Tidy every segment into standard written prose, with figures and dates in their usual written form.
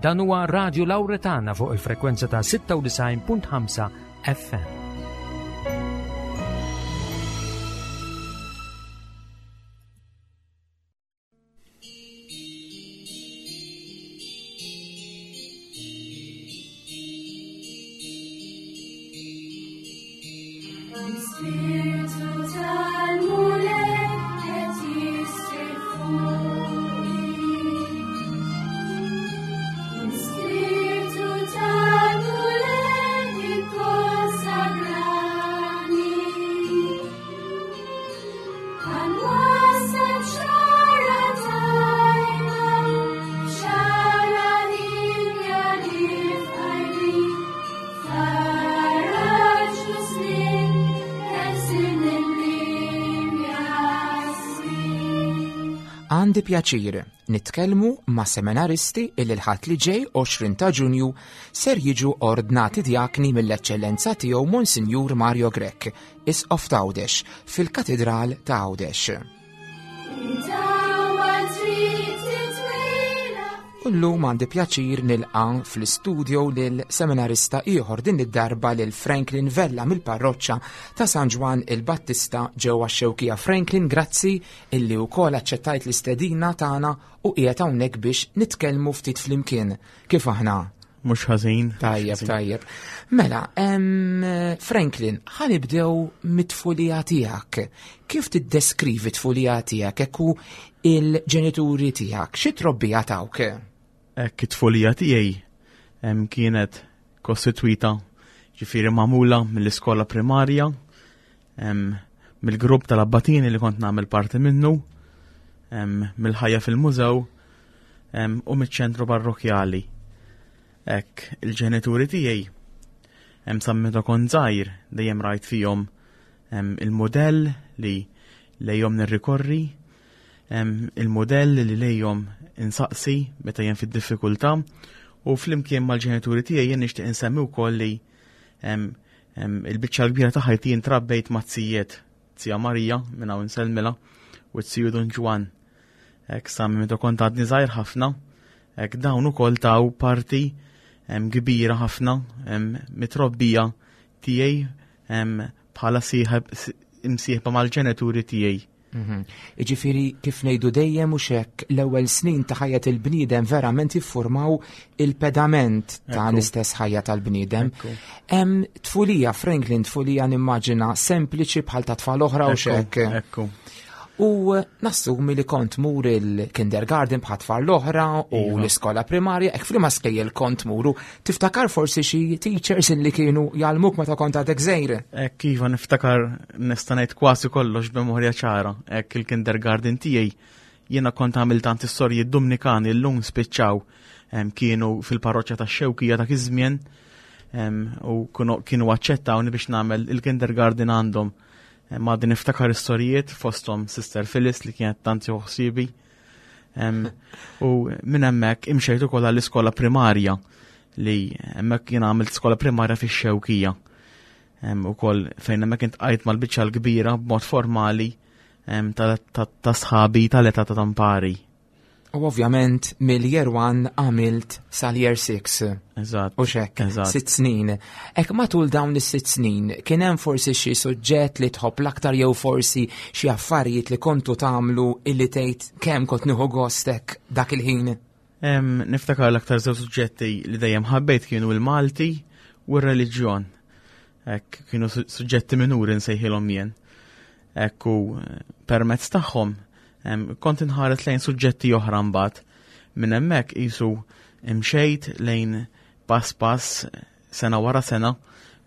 Dan huwa Radio Lauretana fuq il-frekwenza ta' 96.5 FM. Għandi pjaċir nitkellmu ma' seminaristi illi l-ħadd li ġej 20 ta' Ġunju ser jiġu ordnati djakni mill-Eċċellenza tiegħu Monsinjur Mario Grech, Isqof t'Għawdex, fil-Katidral ta' Għawdex. U llum għandi pjaċir nilqa' fl-istudio lil seminarista ieħor din id-darba lil Franklin Vella mill-parroċċa ta' San Ġwann il-Battista ġewwa x-Xewkija. Franklin, grazzi illi wkoll aċċettajt l-istedina tagħna u qiegħed hawnhekk biex nitkellmu ftit flimkien. Kif aħna? Mhux ħażin. Tajjeb, tajjeb. Mela, Franklin, ħanibdew mit-tfulija tiegħek. Kif tiddeskrivi tfulija tiegħek hekk u il-ġenituri tiegħek? Xi trobbija tawk? Hekk it-tfulija tiegħi kienet kostitwita ġifieri magħmula mill-iskola primarja, mill-grupp tal-abbatini li kont nagħmel parti minnu, mill-ħajja fil-mużew u miċ-ċentru parrokjali. Hekk il-ġenituri tiegħi hemm sa meta kont żgħir dejjem rajt fihom il-mudell li lejhom nirrikorri, il-mudell li lejhom insaqsi meta jien fid-diffikultà u flimkien mal-ġenituri tiegħi jien nixtieq insemmi wkoll li il-biċċa l-kbira ta' ħajti jien trabbejt mat-tzijiet, Zija Marija minn hawn insellmilha u t-ziju Dun Ġwann. Hekk sa meta kont għadni żgħir ħafna, hekk dawn ukoll taw parti kbira ħafna mit-trobbija tiegħi bħala sieħeb imsieħba mal-ġenituri tiegħi. Mhm. Iġifieri kif ngħidu dejjem u xek l-ewwel snin ta' ħajja il-bniedem verament jiffurmaw il-pedament ta' l-istess ħajja tal-bniedem. Hemm tfulija, Franklin, tfulija nimmaġina sempliċi bħal ta' tfal oħra u xek. Ekku. U nassumi li kont mur il-kindergarten bħat tfal l-oħra u iva. l-iskola primarja, ek flima skejjel kont muru, tiftakar forsi xi teachers li kienu jgħallmuk meta kont għadek żgħir? Ek iva niftakar nista' ngħid kważi kollox b'memorja ċara, ek il-kindergarten tiegħi jiena kont għamil tant is-sorji Dumnikani llum spiċċaw kienu fil-parroċċa tax-Xewkija dak iż-żmien u kienu aċċettawni biex nagħmel il-kindergarten għandhom. Ma għadni niftakar istorijiet fosthom Sister Phyllis li kienet tant ħsibi. U minn hemmhekk imxejt ukoll għall-iskola primarja li hemmhekk jien għamilt skola primarja fix-Xewkija. Ukoll fejn hemmhekk intqajt mal-biċċa l-kbira b'mod formali ta' sħabi tal-età ta' tampari. U ovvjament mill-year 1 għamilt sal-year 6. Eżatt. U xek, sitt snin. Ek matul dawn is-sitt snin, kien hemm forsi xi suġġett li tħobb l-aktar jew forsi xi affarijiet li kontu tagħmlu illi tgħid kemm kont nieħu gostek dak il-ħin? Niftakar l-aktar żewġ suġġetti li dejjem ħabbejt kienu l-Malti u r-reliġjon. Hekk kienu suġġetti minuri nsejħilhom jien. Hekk u eh, permezz tagħhom kont inħares lejn suġġetti oħra mbagħad. Minn hemmhekk qisu imxejt lejn pass pass sena wara sena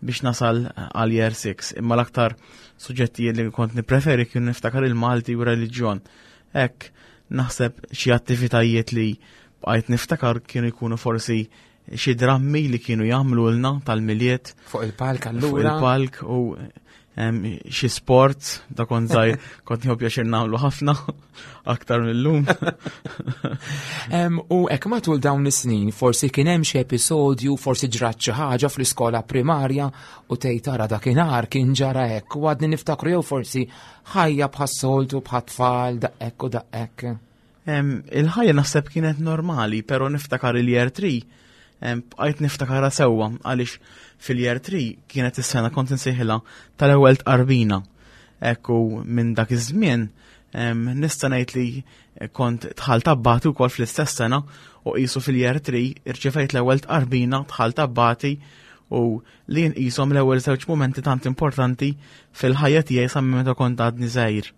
biex nasal għal year 6. Imma l-aktar suġġetti li kont nippreferi kienu niftakar il-Malti u reliġjon. Hekk naħseb xi attivitajiet li bqajt niftakar kienu jkunu forsi xi drammi li kienu jagħmlulna tal-Milied. Fuq il-palk allura. Fuq il-palk u xi sport da kont żgħir kont nieħu pjaċir nagħmlu ħafna aktar mill-lum. U hekk matul dawn is-snin forsi kien hemm xi episodju, forsi ġrat xi ħaġa fl-iskola primarja u tgħid tara dakinhar kien ġara hekk u għadni niftakru jew forsi ħajja bħas-soltu bħat-tfal daqhekk u daqhekk. Il-ħajja naħseb kienet normali, pero niftakar il-year 3 bqajt niftakarha sewwa għaliex fil-year 3 kienet is-sena kont insejħilha tal-ewwel tqarbina. Ekku minn dak iż-żmien nista' ngħid li kont dħalt abbati wkoll fl-istess sena u qisu fil-year 3 irċevejt l-ewwel tqarbina dħalt abbati u li nqishom l-ewwel żewġ mumenti tant importanti fil-ħajja tiegħi sa minn meta kont għadni żgħir.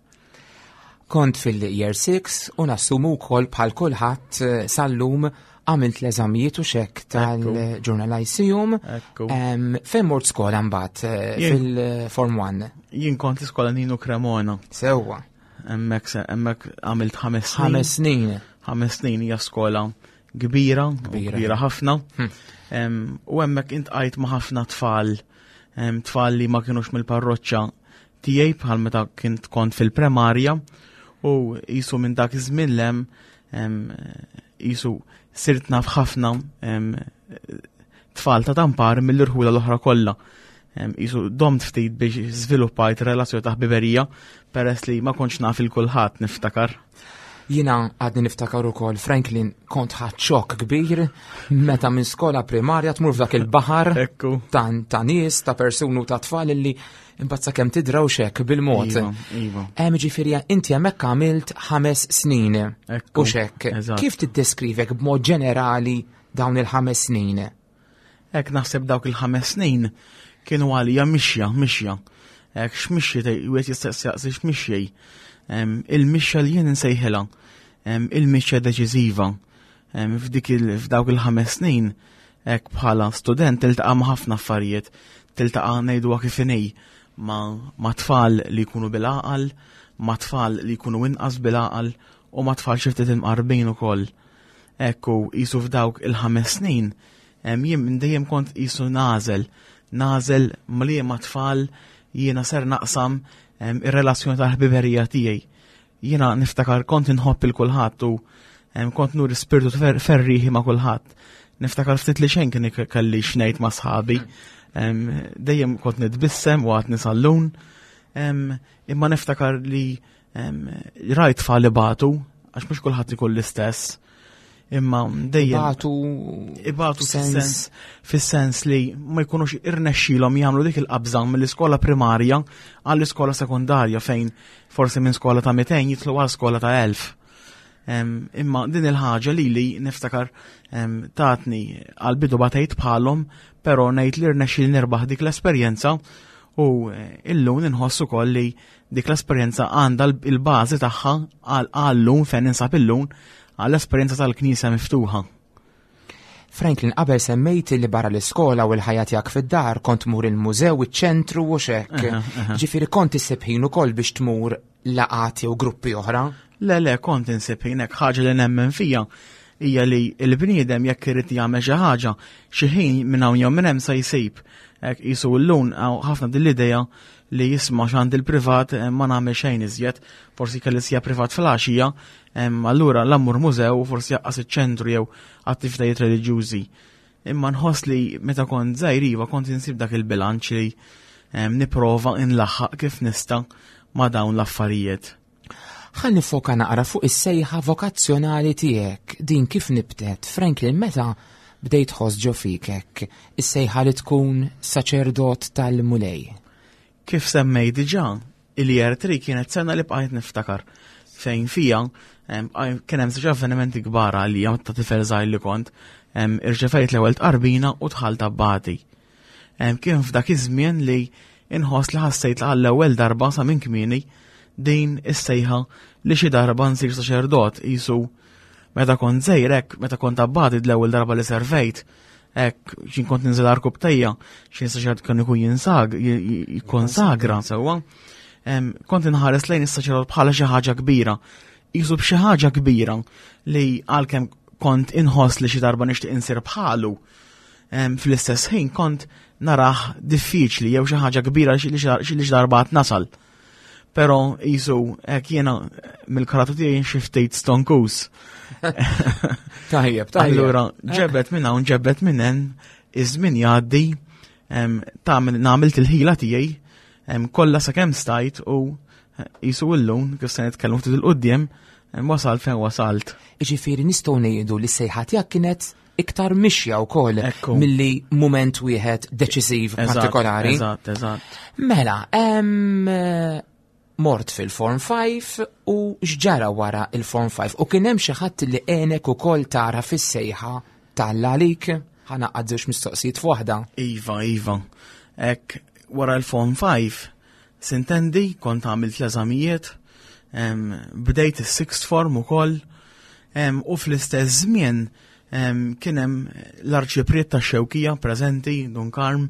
Kont fil-year 6 u nassumu wkoll bħal kulħadd eh, sal-lum għamilt l-eżamijiet u xek tal-Journal Lyceum. Fejn mort skola mbagħad eh, fil-Form 1? Jien kont l-iskola Nino Cremona. Sewwa. Hemmhekk hemmhekk għamilt ħames snin. Ħames snin. Ħames snin hija skola kbira, kbira ħafna. Hm. U hemmhekk intqajt ma' ħafna tfal, tfal li ma kienux mill-parroċċa tiegħi bħal meta kint kont fil-premarja u jisu minn dak iż-żmien lem jisu sirt naf ħafna tfal ta' tampar mill-irħula l-oħra kollha. Jisu domt ftit biex żviluppajt relazzjoni ta' ħbiberija peress li ma kontx naf il-kulħadd niftakar. Jina għadni niftakar ukoll Franklin kont ħadd xokk kbir meta minn skola primarja tmur f'dak il-baħar ta' nies, ta' persuni u ta' tfal illi imbagħad sakemm tidraw xek bil-mod. Iva, iva. Hemm ġifieri inti hemmhekk għamilt ħames snin. U xek. Kif tiddeskrivek b'mod ġenerali dawn il-ħames snin? Hekk naħseb dawk il-ħames snin kienu għalija mixja, mixja. Hekk x'mixja wieħed jista' jaqsi x'mixjej. Il-mixja li jien insejħilha, il-mixja deċiżiva. F'dik f'dawk il-ħames snin, hekk bħala student tiltaqa' ma' ħafna affarijiet, tiltaqa' ngħiduha kif inhi ma' tfal li jkunu bil-għaqal, ma' tfal li jkunu inqas bil-għaqal u ma' tfal xi ftit imqarbin ukoll. Ekku, qisu f'dawk il-ħames snin, jien minn dejjem kont qisu nagħżel, nagħżel ma' liema tfal jiena ser naqsam ir-relazzjoni tal-ħbiberija tiegħi. Jiena niftakar kont inħobb il kulħadd u kont nuri spirtu ferriħi ma' kulħadd. Niftakar ftit li xejn kien kelli xnejt ma' sħabi. Dejjem kont nitbissem u għad nisallun. Imma niftakar li Rajt tfal ibatu, għax mhux kulħadd ikun l-istess. Imma dejjem. Ibatu. Ibatu fis-sens fis-sens li ma jkunux irnexxilhom jagħmlu dik il-qabża mill-iskola primarja għall-iskola sekondarja fejn forsi minn skola ta' 200 jitlu għal skola ta' 1000. Imma din il-ħaġa li li niftakar tatni għal-bidu batejt bħalhom, però ngħid li rnexxil nirbaħ dik l-esperjenza u eh, illum inħoss ukoll li Dik l-esperjenza għandha l-bażi tagħha għal-lum fejn ninsab illum għall-esperjenza tal-Knisja miftuħa. Franklin, qabel semmejt li barra l-iskola u l-ħajja tiegħek fid-dar kont tmur il-mużew, iċ-ċentru u xek. Ġifieri kont issib ħin ukoll biex tmur laqgħat jew gruppi oħra? Le, le, kont insib ħin hekk ħaġa li nemmen fija hija li l-bniedem jekk irid jagħmel xi ħaġa, xi ħin minn hawn jew minn hemm se jsib. Hekk qisu llum ħafna din l-idea li jisma' x'għandi l-privat eh, ma nagħmel xejn iżjed, forsi kelli sija privat fil-għaxija, allura l-ammur mużew forsi jaqqas iċ-ċentru jew attivitajiet reliġjużi. Imma nħoss li meta kont żgħir iva kont insib dak il-bilanċ li nipprova nlaħħaq kif nista' ma' dawn l-affarijiet. Ħa nifoka naqra fuq is-sejħa vokazzjonali tiegħek, din kif nibtet, Franklin, meta bdejt tħoss ġo fik hekk is-sejħa li tkun saċerdot tal-Mulej? Kif semmejt diġà, il-Year 3 kienet sena li bqajt niftakar fejn fija kien hemm żewġ avvenimenti kbar għalija ta' tifel żgħir li kont, irċevejt l-ewwel tqarbina u dħalt abbati. Kien f'dak iż-żmien li inħoss li ħassejt li għall-ewwel darba sa minn kmieni din is-sejħa li xi darba nsir saċerdot qisu meta kont żgħir hekk, meta kont abbati l-ewwel darba li servejt, hekk x'in kont ninżel arkub tejja, xi saċerdot kien ikun jinsag, jikkonsagra sewwa. Kont inħares lejn is-saċerdot bħala xi ħaġa kbira. Qisu b'xi ħaġa kbira li għalkemm kont inħoss li xi darba nixtieq insir bħalu, Fl-istess ħin kont narah diffiċli jew xi ħaġa kbira li xi darba għad nasal. Però jisu hekk jiena mill-karattru tiegħi xi ftit stonkus. Tajjeb, tajjeb. Allura ġebet minn hawn ġebet minn hemm iż-żmien jgħaddi tagħmel nagħmel il-ħila tiegħi kollha sakemm stajt u jisu illum kif se nitkellmu ftit il-qudiem Wasalt fejn wasalt. Jiġifieri nistgħu ngħidu li s-sejħa tiegħek kienet iktar mixja wkoll milli mument wieħed deċiżiv partikolari. Eżatt, eżatt. Mela, mort fil-Form 5 u x'ġara wara il-Form 5 u kien hemm xi ħadd li għenek ukoll tara fis-sejħa t'Alla għalik? Ħa naqgħad żewġ mistoqsijiet f'waħda. Iva, iva. Hekk wara l-Form 5 sintendi kont għamilt l-eżamijiet, bdejt is-sixth form ukoll u fl-istess żmien kien hemm l-arċipriet tax-Xewkija preżenti, Dun Karm,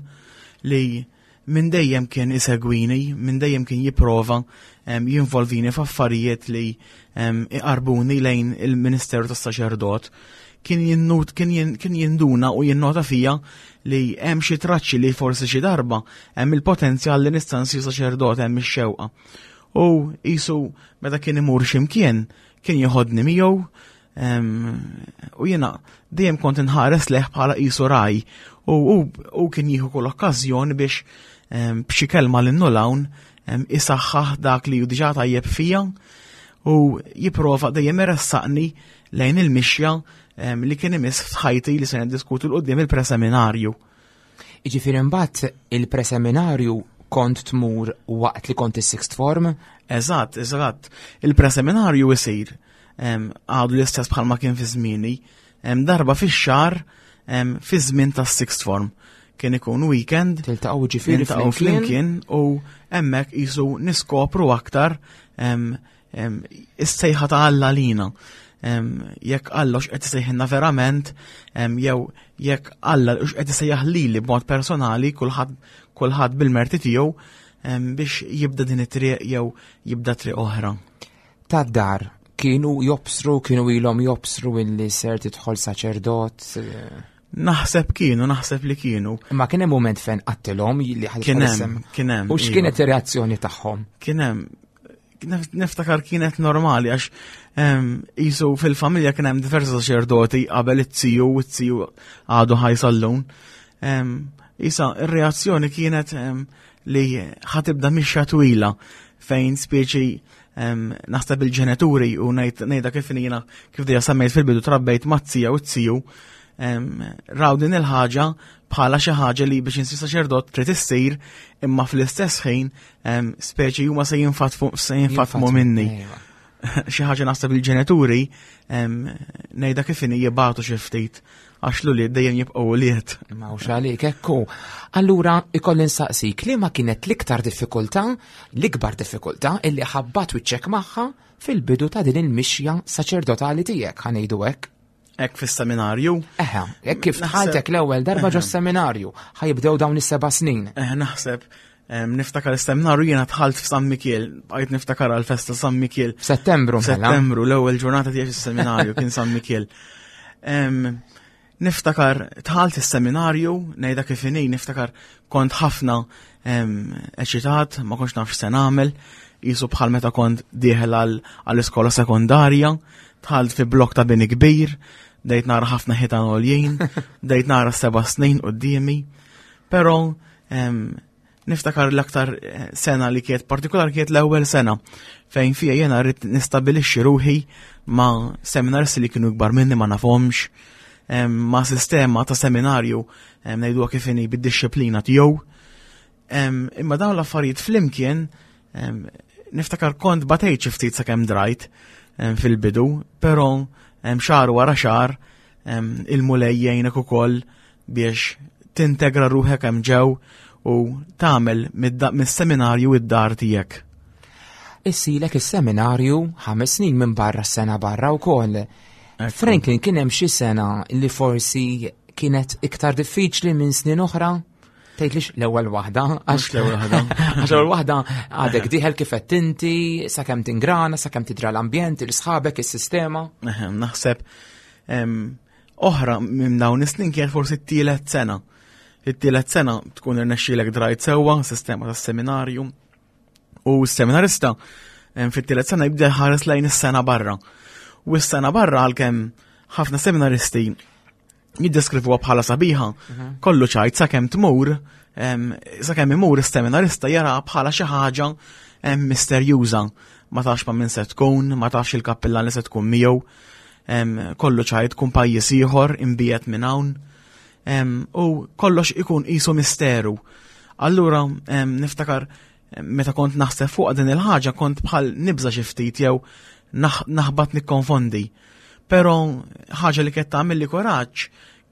li minn dejjem kien isegwini, minn dejjem kien jipprova jinvolvini f'affarijiet li iqarbuni lejn il-ministeru tas-saċerdot. Kien jinnut, kien jinduna u jinnota fija li hemm xi traċċi li forsi xi darba hemm il-potenzjal li nista' nsir saċerdot hemm ix-xewqa. U qisu meta kien imur x'imkien kien jieħodni miegħu U jiena dejjem kont inħares leħ bħala qisu raj u u kien jieħu kull okkażjoni biex b'xi kelma l lawn isaħħaħ dak li hu diġà tajjeb fija u jipprova dejjem iressaqni lejn il-mixja li kien imiss f'ħajti li se niddiskutu l qudiem il-preseminarju. Jiġifieri mbagħad il-preseminarju kont tmur waqt li kont is-sixth form? Eżatt, eżatt. Il-preseminarju isir għadu l-istess bħalma kien fi żmieni, darba fix-xahar fi żmien tas-sixth form. Kien ikun weekend. Tiltaqgħu ġifieri niltaqgħu flimkien u hemmhekk qisu niskopru aktar is-sejħa ta' Alla lina. Jekk Alla x'qed isejħilna verament, jew jekk Alla x'qed isejjaħ lili b'mod personali, kulħadd kulħadd bil-merti tiegħu biex jibda din it-triq jew jibda triq oħra. Tad-dar kienu jobsru, kienu ilhom jobsru illi ser tidħol saċerdot? Naħseb kienu, naħseb li kienu. Ma kien hemm mument fejn qattilhom li ħadd Kien hemm, kien hemm. U x'kienet iva. ir-reazzjoni tagħhom? Kien hemm. Niftakar kienet normali għax jisu fil-familja kien hemm diversi saċerdoti qabel it-tiju u t-tiju għadu ħajsallun. Isa, ir-reazzjoni kienet li ħatibda mixja twila fejn speċi naħseb il-ġenituri u ngħidha kif jiena kif dejja semmejt fil-bidu trabbejt mat-tija u t-tiju raw din il-ħaġa bħala xi ħaġa li biex insir saċerdot trid issir imma fl-istess ħin speċi huma se jinfatmu minni. Xi ħaġa naħseb il-ġenituri ngħidha kif inhi jibgħatu xi ftit għax l-ulied dejjem jibqgħu ulied. Ma hux għalik ekku. Allura ikolli nsaqsik li ma kienet l-iktar diffikultà, l-ikbar diffikultà illi ħabbat wiċċek magħha fil-bidu ta' din il-mixja saċerdotali tiegħek ħa ngħidu hekk. Hekk fis-seminarju? Eħe, hekk kif dħaltek l-ewwel darba ġo seminarju, ħajibdew dawn is-seba' snin. Eħe, naħseb niftakar is-seminarju jiena dħalt f'San Mikiel, bqajt niftakar għall-festa San Mikiel. F'Settembru mela. Settembru, l-ewwel ġurnata tiegħi fis-seminarju kien San Mikiel. Niftakar dħalt is-seminarju, ngħidha kif inhi, niftakar kont ħafna eċitat, ma kontx naf x'se nagħmel, qisu bħal meta kont dieħel għall-iskola sekondarja, dħalt fi blok ta' bini kbir, bdejt nara ħafna ħitan għoljin, bdejt nara seba' snin quddiemi, però Niftakar l-aktar eh, sena li kienet partikolar kienet l-ewwel sena fejn fija jiena rrid nistabilixxi ruħi ma' seminars li kienu kbar minni ma nafhomx, ma' sistema ta' seminarju ngħiduha kif inhi bid-dixxiplina tiegħu. Imma dawn l-affarijiet flimkien niftakar kont batejt xi ftit sakemm drajt fil-bidu, però xahar wara xahar il-Mulej jgħinek ukoll biex tintegra ruħek hemm ġew u tagħmel mis-seminarju id-dar tiegħek. Issilek is-seminarju ħames snin minn barra s-sena barra wkoll. Franklin kien hemm xi sena li forsi kienet iktar diffiċli minn snin oħra? Tgħidlix l-ewwel waħda, għax l-ewwel waħda. Għax l-ewwel waħda għadek diħel kif qed inti, sakemm tingrana, sakemm tidra l-ambjent, il-sħabek, is-sistema. Naħseb Oħra minn dawn is-snin kienet forsi t-tielet sena. It-tielet sena tkun irnexxielek drajt sewwa, sistema tas-seminarju. U s-seminarista fit-tielet sena jibda jħares lejn is-sena barra. U s-sena barra għalkemm ħafna seminaristi Jiddeskrivuha bħala sabiħa, mhm. kollu ċajt sakemm tmur, sakemm imur is-seminarista jara bħala xi ħaġa misterjuża. Ma tafx ma' min se tkun, ma tafx il-kappillan li se tkun miegħu, kollu ċajt tkun pajjiż ieħor imbiet minn hawn. U kollox ikun qisu misteru. Allura niftakar meta kont naħseb fuq din il-ħaġa kont bħal nibża xi ftit jew naħbat nikkonfondi. Però ħaġa li kienet tagħmel li kuraġġ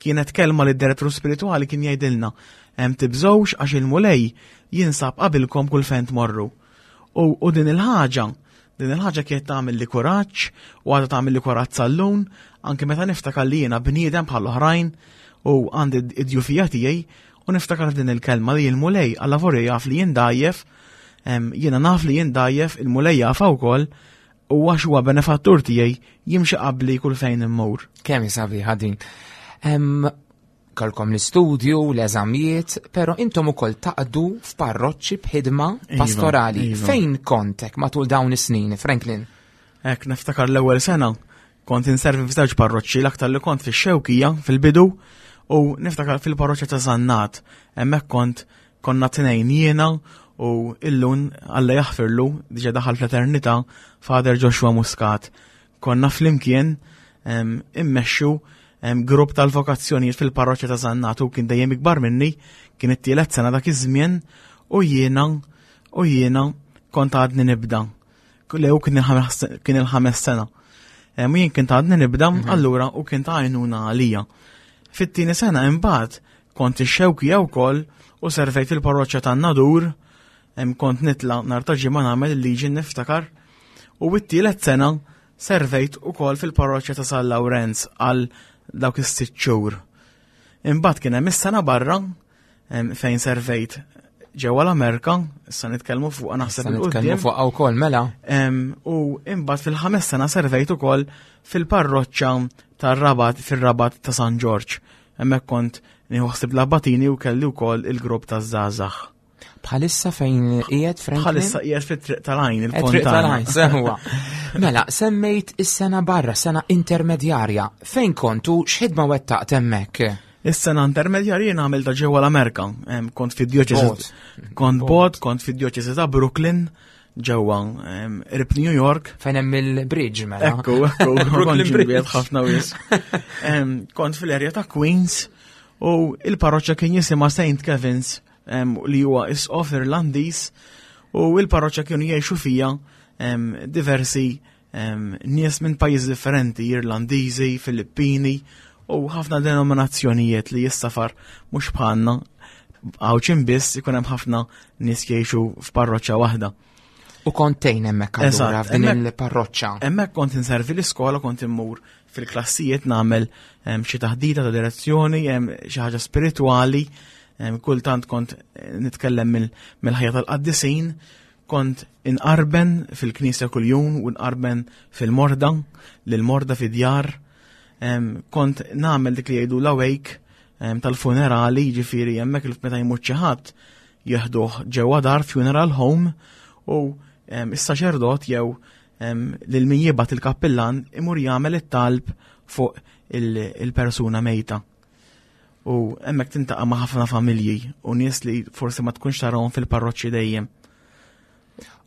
kienet kelma li d-direttur spiritwali kien jgħidilna hemm tibżgħux għax il-Mulej jinsab qabilkom kull fejn tmorru. U, din il-ħaġa, din il-ħaġa kienet tagħmel li kuraġġ u għadha tagħmel li kuraġġ sal-lum, anke meta niftakar li jiena bniedem bħal oħrajn u għandi id-djufija tiegħi U niftakar din il-kelma li l-Mulej alla vorja jaf li jien dajjef, jiena naf li jien dajjef, il-Mulej jafha wkoll, u għax huwa benefattur tiegħi jimxi qabli kull fejn immur. Kemm sabiħa din. Kalkom l-istudju, l-eżamijiet, pero intom ukoll taqdu f'parroċċi b'ħidma iva, pastorali. Iva. Fejn kontek matul dawn is-snin, Franklin? Ek niftakar l-ewwel sena Kont inservi f'żewġ parroċċi l-aktar li kont fix-Xewkija fil-bidu u niftakar fil-parroċċa ta' Sannat. Hemmhekk kont konna tnejn jiena u illun Alla jaħfirlu diġà daħal fl-eternità Father Joshua Muscat. Konna flimkien immexxu grupp tal-vokazzjonijiet fil-parroċċa ta' Sannat u kien dejjem ikbar minni, kien it-tielet sena dak iż-żmien u jiena u jiena kont għadni nibda. Le, u kien il-ħames sena. U jien kien ta' għadni nibda, mhm. allura u kien ta' għajnuna għalija. Fit-tieni sena imbagħad kont ix-xewkija wkoll u servejt fil-parroċċa tan-Nadur, kont nitla nhar ta' ġimgħa nagħmel il-liġi niftakar. U t-tielet sena servejt ukoll fil-parroċċa ta' San Lawrenz għal dawk is-sitt xhur. Imbagħad kien hemm is-sena barra fejn servejt ġewwa l-Amerika, issa nitkellmu fuq naħseb nitkellmu fuq wkoll mela. U imbagħad fil-ħames sena servejt ukoll fil-parroċċa tar-Rabat fir-Rabat ta' San Ġorġ. Hemmhekk kont nieħu ħsieb l-abbatini u kelli wkoll il-grupp taż-żgħażagħ. Bħalissa fejn qiegħed Franklin? Bħalissa qiegħed fit-triq tal-għajn, il-Triq tal-għajn, sewa. Mela, semmejt is-sena barra, sena intermedjarja. Fejn kontu x'ħidma wettaqt hemmhekk? Is-sena intermedjarja jien għamilta ġewwa l-Amerika. Kont fid-djoċesi kont bot, kont fid-djoċesi ta' Brooklyn ġewwa qrib New York. Fejn hemm il-bridge mela. Ekku, ekku, Brooklyn Bridge ħafna wis. Kont fil-erja ta' Queens u il-parroċċa kien jisimha St. Kevin's li huwa isqof Irlandiż u il-parroċċa kienu jgħixu fija diversi nies minn pajjiżi differenti, Irlandiżi, Filippini u ħafna denominazzjonijiet li jissafar mhux bħalna għawċin biss ikun hemm ħafna nies jgħixu f'parroċċa waħda. U kont tgħin hemmhekk allura f'din il-parroċċa. Hemmhekk kont inservi l-iskola, kont immur fil-klassijiet nagħmel xi taħdita ta' direzzjoni, xi ħaġa spiritwali, kultant kont eh, nitkellem mill-ħajja tal-qaddisin, kont inqarben fil-knisja kuljum u nqarben fil-morda, lil-morda fid-djar, kont nagħmel dik li jgħidu l-awake tal-funerali, jiġifieri hemmhekk meta jmut xi ħadd jeħduh ġewwa dar funeral home u is-saċerdot jew lil min jibgħat il-kappillan imur jagħmel it-talb fuq il-persuna mejta. U hemmhekk tintaqa' ma' ħafna familji u nies li forsi ma tkunx tarahom fil-parroċċi dejjem.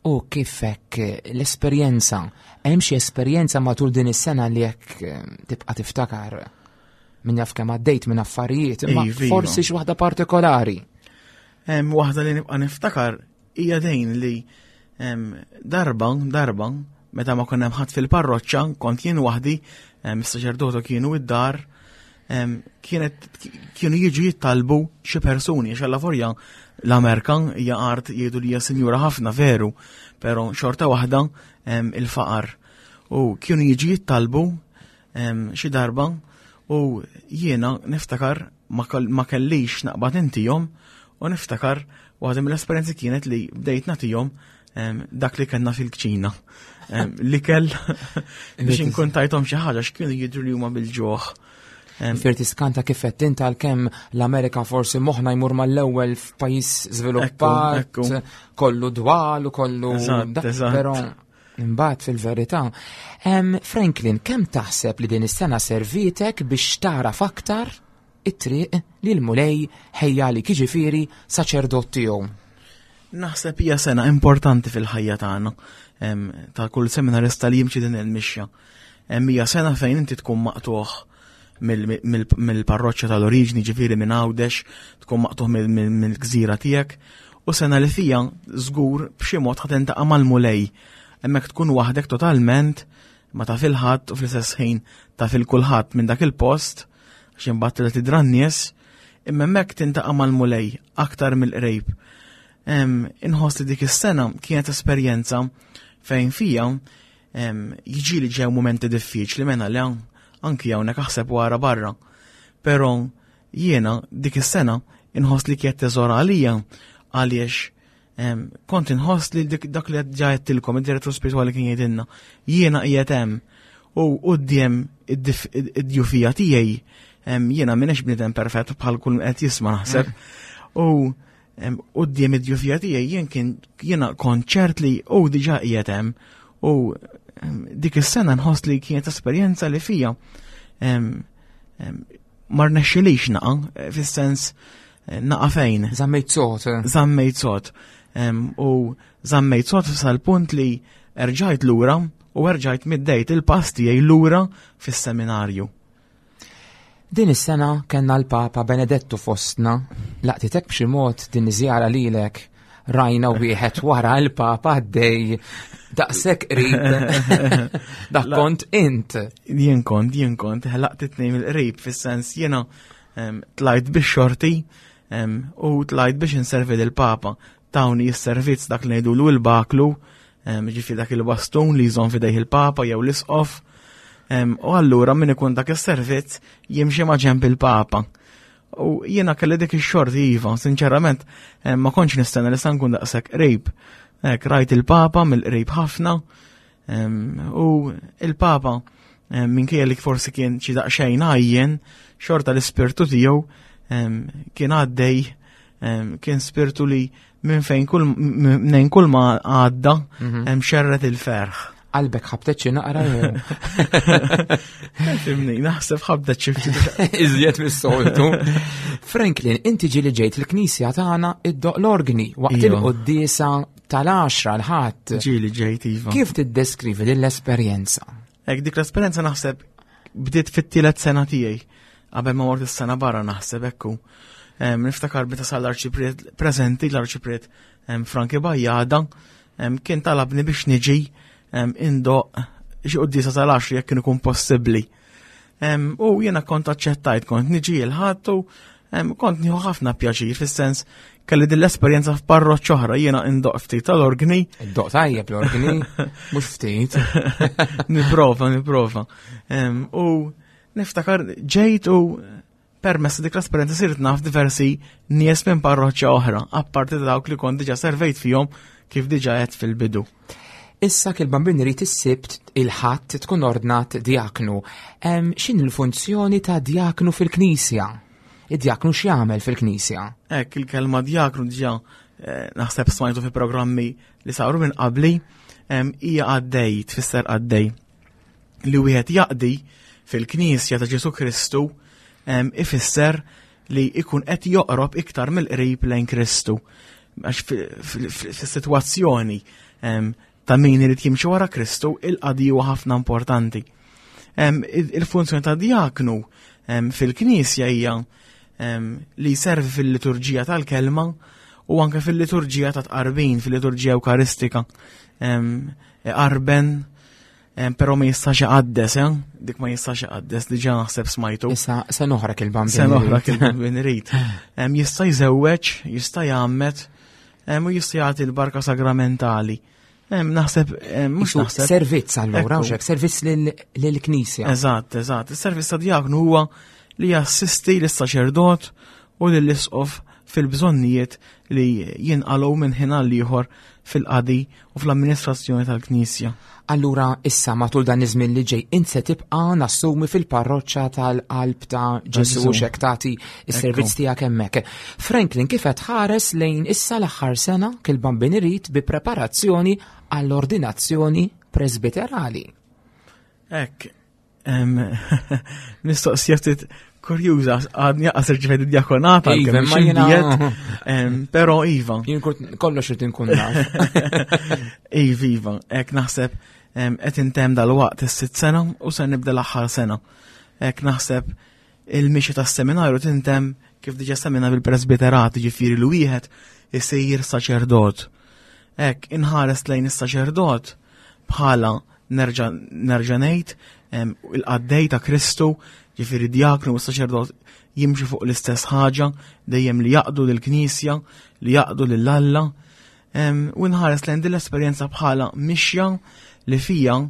U kif hekk l-esperjenza, hemm xi esperjenza matul din is-sena li hekk eh, tibqa' tiftakar min jaf kemm għaddejt minn affarijiet, imma iva, iva. forsi xi waħda partikolari. Hemm waħda li nibqa' niftakar hija dejn li darba, darba, meta ma konna ħadd fil-parroċċa, kont jien waħdi, is-saċerdotu kienu id-dar, kienet kienu jiġu jittalbu xi persuni għax alla l-Amerika hija art jgħidu li hija sinjura ħafna veru, però xorta waħda il-faqar. U kienu jiġu jittalbu xi darba u jiena niftakar ma kellix naqbad intihom u niftakar waħda mill-esperjenzi kienet li bdejt nagħtihom dak li kellna fil-kċina. Li kell biex inkun tajthom xi ħaġa x'kienu jidhru li huma bil-ġuħ. Fir tiskanta kif qed int għalkemm l-Amerika forsi moħħna jmur mal-ewwel f'pajjiż żviluppat, kollu dwal u kollu. Però Imbagħad fil-verità, Franklin, kemm taħseb li din is-sena servietek biex tagħraf aktar? it-triq li l-Mulej ħejja għalik jiġifieri saċerdot tiegħu. Naħseb hija sena importanti fil-ħajja tagħna ta' kull seminarista li jimxi din il-mixja. Hija sena fejn inti tkun maqtuħ mill-parroċċa tal-oriġni, ġifieri minn Għawdex, tkun maqtuħ mill-gżira tiegħek, u sena li fija żgur b'xi mod ħa tintaqa' mal-Mulej. Hemmhekk tkun waħdek totalment, ma taf il-ħadd u fl-istess ħin taf il-kulħadd minn dak il-post, għax imbagħad tibda tidra n-nies, imma hemmhekk tintaqa' mal-Mulej aktar mill-qrib. Inħoss li dik is-sena kienet esperjenza fejn fija jiġi li ġew momenti diffiċli mena li anki hawnhekk aħseb wara barra. Però jiena dik is-sena inħoss li kienet teżor għalija għaliex kont inħoss li dak li ġa għedtilkom id-direttur spiritwali kien jgħidilna, jiena qiegħed hemm u quddiem id-djufija tiegħi jiena m'iniex bniedem perfett bħal kull qed jisma' naħseb. U quddiem id-djufija tiegħi jien kien jiena kont ċert li hu diġà qiegħed hemm u dik is-sena nħoss li kienet esperjenza li fija ma rnexxilix naqa' eh, fis-sens eh, naqa' fejn. Żammejt sod. Eh. Żammejt sod. U żammejt sod sal-punt li erġajt lura u erġajt middejt il-pass tiegħi lura fis-seminarju. Din is-sena kellna l-Papa Benedettu fostna, laqtitek b'xi mod din iż-żjara lilek rajna wieħed wara l-Papa għaddej daqshekk qrib. Dak kont int. Jien kont, jien kont, laqtitni mill-qrib fis-sens jiena tlajt biex xorti u tlajt biex inservi lill-Papa. Tawni s-servizz dak li ngħidulu l-baklu, ġifi dak il-bastun li jżomm fidejh il-Papa jew l-isqof. U allura min ikun dak is-servizz jimxi ma' ġenb il-Papa. U jiena kelli dik ix-xorti iva, sinċerament, ma kontx nistenna li sa nkun daqshekk qrib. Hekk rajt il-Papa mill-qrib ħafna. U il-Papa minkejja li forsi kien xi daqsxejn għajjen, xorta l-ispirtu tiegħu kien għaddej kien spirtu li minn fejn kull minn kull ma għadda mhm. hemm xerret il-ferħ. Qalbek ħabtet xi naqra jew. Fimni, naħseb ħabtet xi ftit. Iżjed mis-soltu. Franklin, inti ġieli ġejt il-knisja tagħna iddoq l-organi waqt iva. il-quddiesa tal-10 l-ħadd. Ġieli ġejt iva. Kif tiddeskrivi din l-esperjenza? Ek dik l-esperjenza naħseb bdiet fit-tielet sena tiegħi qabel ma mort is-sena barra naħseb ekku. Niftakar meta sal l-arċipriet preżenti l-arċipriet Franki Bajjada kien talabni biex niġi indoq xi quddiesa tal-10 jekk kien ikun possibbli. U jiena kont aċċettajt, kont niġi il-ħadd u kont nieħu ħafna pjaċir fis-sens kelli din l-esperjenza f'parroċċ oħra jiena indoq ftit tal-organi. Indoq tajjeb l-organi, mhux ftit. Niprova, niprova. U niftakar ġejt u Permezz ta' dik l-esperjenza sirt naf diversi nies minn parroċċa oħra, apparti dawk li kont diġà servejt fihom kif diġà għedt fil-bidu. Issa kil-Bambin irid is-Sibt il-Ħadd tkun ordnat djaknu. X'inhi l-funzjoni ta' djaknu fil-Knisja? Id-djaknu x'jagħmel fil-Knisja? Hekk il-kelma djaknu diġà eh, naħseb smajtu fi programmi li saru minn qabli hija għaddej, tfisser għaddej. Li wieħed jaqdi fil-Knisja ta' Ġesu Kristu ifisser li ikun qed joqrob iktar mill-qrib lejn Kristu. Għax fis-sitwazzjoni ta' min irid jimxi wara Kristu, il-qadi huwa ħafna importanti. Il-funzjoni ta' diaknu fil-Knisja hija li jservi fil-liturġija tal-kelma u anke fil-liturġija ta' tqarbin, fil-liturġija Ewkaristika. Iqarben, però ma jistax iqaddes, eh? dik ma jistax iqaddes, diġà naħseb smajtu. Issa se noħrek il-bambin. Se noħrek il-bambin irid. Jista' jżewweġ, jista' jgħammed, u jista' jagħti l-barka sagramentali. Naħseb, mhux naħseb. Servizz allura, u servizz lill-Knisja. Eżatt, eżatt. Is-servizz ta' diaknu huwa li jassisti lis-saċerdot u lill-isqof fil-bżonnijiet li jinqalgħu minn ħin għal ieħor fil-qadi u fl-amministrazzjoni tal-Knisja. Allura issa matul dan iż-żmien li ġej int se tibqa' nassumi fil-parroċċa tal-Qalb ta' Ġesù x'hekk tagħti s-servizz tiegħek hemmhekk. Franklin kif qed ħares lejn issa l-aħħar sena kil bambin irid bi preparazzjoni għall-ordinazzjoni presbiterali. Hekk, Mistoqsija ftit Kurjuża, għadni għas irċivejt id-djakonata, Iva, ma jiena. Pero Iva. Jien kollox irid inkun naf. Iva, Iva, hekk naħseb qed intemm dal-waqt is-sitt sena u se nibda l-aħħar sena. Hekk naħseb il-mixi tas-seminarju tintemm kif diġà semmejna bil-presbiterat, ġifieri li wieħed isir saċerdot. Hekk inħares lejn is-saċerdot bħala nerġa' nerġa' ngħid il-qaddej ta' Kristu, ġifieri djaknu u saċerdot jimxu fuq l-istess ħaġa, dejjem li jaqdu lill-Knisja, li jaqdu lil Alla. U nħares lejn din l-esperjenza bħala mixja li fija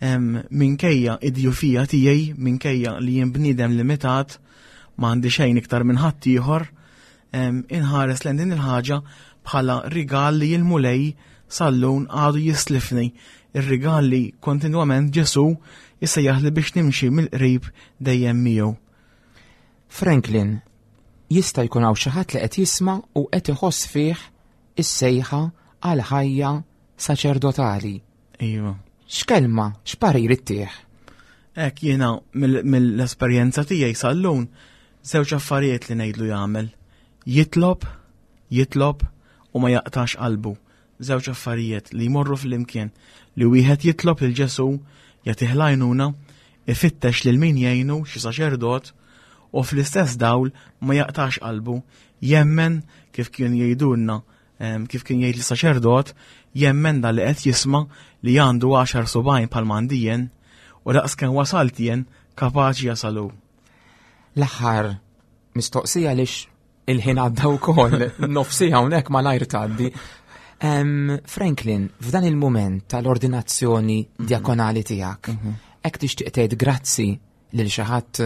minkejja id-djufija tiegħi, minkejja li jien bniedem limitat, ma għandi xejn iktar minn ħaddieħor, inħares lejn din il-ħaġa bħala rigal li l-Mulej sallun għadu jislifni, ir-rigal li kontinwament Ġesu jissejjaħli biex nimxi mill-qrib dejjem miegħu. Franklin, jista' jkun hawn xi ħadd li qed jisma' u qed iħoss fih is-sejħa għal ħajja saċerdotali. Iva. X'kelma, x'parir ittieħ? Hekk jiena mill-esperjenza tiegħi sal-lum żewġ affarijiet li ngħidlu jagħmel. Jitlob, jitlob u ma jaqtax qalbu. Żewġ affarijiet li jmorru flimkien li wieħed jitlob lil Ġesu jagħtih l-għajnuna, ifittex lil min jgħinu xi saċerdot u fl-istess dawl ma jaqtax qalbu, jemmen kif kien jgħidulna kif kien jgħid l-saċerdot, jemmen da li qed jisma' li għandu għaxar subgħajn bħal m'għandi jien u daqs kemm wasalt jien kapaċi jasalu. L-aħħar mistoqsija għaliex il-ħin għadda wkoll nofsi hawnhekk malajr tgħaddi. Franklin, f'dan il-mument tal-ordinazzjoni diakonali tiegħek, hekk tixtieq tgħid grazzi lil xi ħadd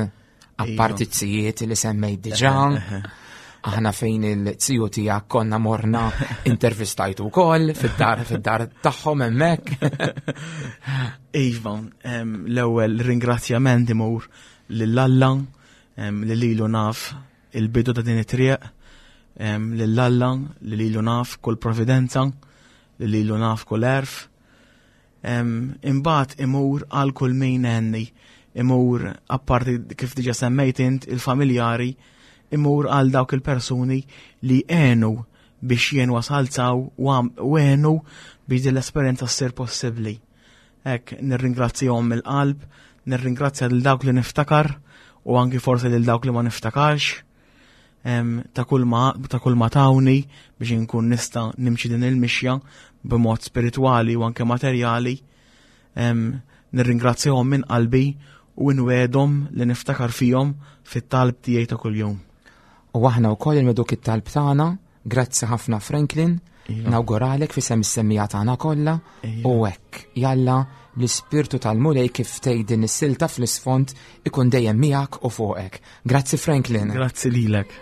apparti iva. t-sijiet li semmejt diġà. Aħna fejn il-tiju tiegħek konna morna intervistajtu wkoll fid-dar fid-dar tagħhom hemmhekk. Iva, l-ewwel ringrazzjament imur lil Alla li lilu naf il-bidu ta' din it-triq, lil Alla li lilu naf kull providenza, li lilu naf kull erf. Imbagħad imur għal kull min għenni, imur apparti kif diġa semmejt int il-familjari, imur għal dawk il-persuni li għenu biex jien wasalt saw u għenu biex din l-esperjenza ssir possibbli. Hekk nirringrazzjahom mill-qalb, nirringrazzja lil dawk li niftakar u anki forsi lil dawk li ma niftakarx ta' kull ma ta' kull ma tawni biex inkun nista' nimxi din il-mixja b'mod spiritwali u anke materjali. Nirringrazzjahom minn qalbi u nwedhom li niftakar fihom fit-talb tiegħi ta' kuljum. U aħna wkoll inweduk it-talb tagħna. Grazzi ħafna Franklin, iva. nawguralek fi sem is-semmija tagħna kollha iva. u hekk jalla l-ispirtu tal-Mulej kif tgħid din is-silta fl-isfond ikun dejjem miegħek u fuqek. Grazzi Franklin. Grazzi lilek.